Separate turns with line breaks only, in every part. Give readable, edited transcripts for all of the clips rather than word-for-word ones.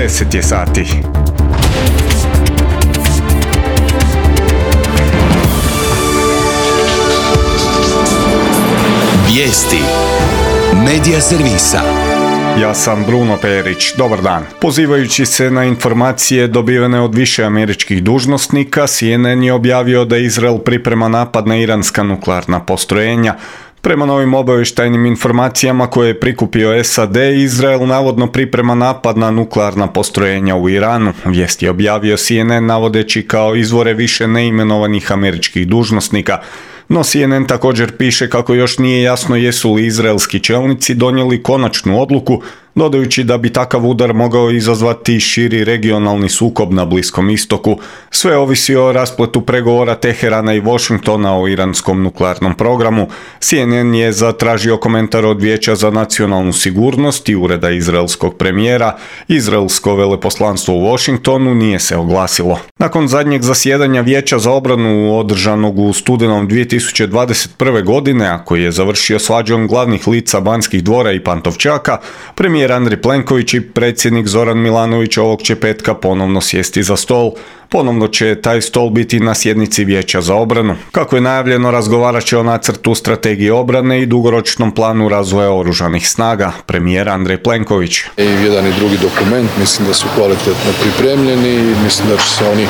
10 je sati.
Vijesti Medija servisa.
Ja sam Bruno Perić, dobar dan. Pozivajući se na informacije dobivene od više američkih dužnosnika, CNN je objavio da Izrael priprema napad na iranska nuklearna postrojenja. Prema novim obavještajnim informacijama koje je prikupio SAD, Izrael navodno priprema napad na nuklearna postrojenja u Iranu. Vijest je objavio CNN navodeći kao izvore više neimenovanih američkih dužnosnika. No CNN također piše kako još nije jasno jesu li izraelski čelnici donijeli konačnu odluku, dodajući da bi takav udar mogao izazvati širi regionalni sukob na Bliskom istoku. Sve ovisi o raspletu pregovora Teherana i Washingtona o iranskom nuklearnom programu. CNN je zatražio komentar od Vijeća za nacionalnu sigurnost i ureda izraelskog premijera. Izraelsko veleposlanstvo u Washingtonu nije se oglasilo. Nakon zadnjeg zasjedanja Vijeća za obranu održanog u studenom 2021. godine, a koji je završio svađom glavnih lica Banskih dvora i Pantovčaka, premijer Andrej Plenković i predsjednik Zoran Milanović ovog će petka ponovno sjesti za stol. Ponovno će taj stol biti na sjednici Vijeća za obranu. Kako je najavljeno, razgovarat će o nacrtu strategije obrane i dugoročnom planu razvoja oružanih snaga. Premijer Andrej Plenković.
I jedan i drugi dokument mislim da su kvalitetno pripremljeni i mislim da će se oni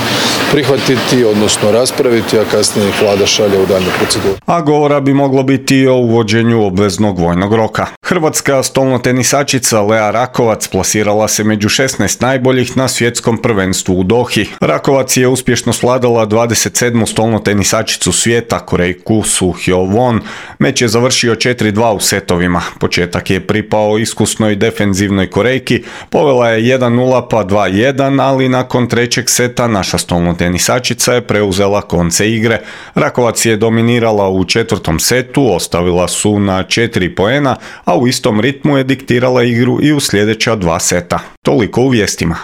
prihvatiti, odnosno raspraviti, a kasnije ih Vlada šalje u daljnju proceduru.
A govora bi moglo biti i o uvođenju obveznog vojnog roka. Hrvatska stolnotenisačica Lea Rakovac plasirala se među 16 najboljih na svjetskom prvenstvu u Dohi. Rakovac je uspješno svladala 27. stolnotenisačicu svijeta, Korejku Soo Hyo-won. Meč je završio 4-2 u setovima. Početak je pripao iskusnoj defenzivnoj Korejki, povela je 1-0 pa 2-1, ali nakon trećeg seta naša stolnotenisačica je preuzela konce igre. Rakovac je dominirala u četvrtom setu, ostavila su na 4 poena, a u istom ritmu je diktirala igru i u sljedeća 2 seta. Toliko u vijestima.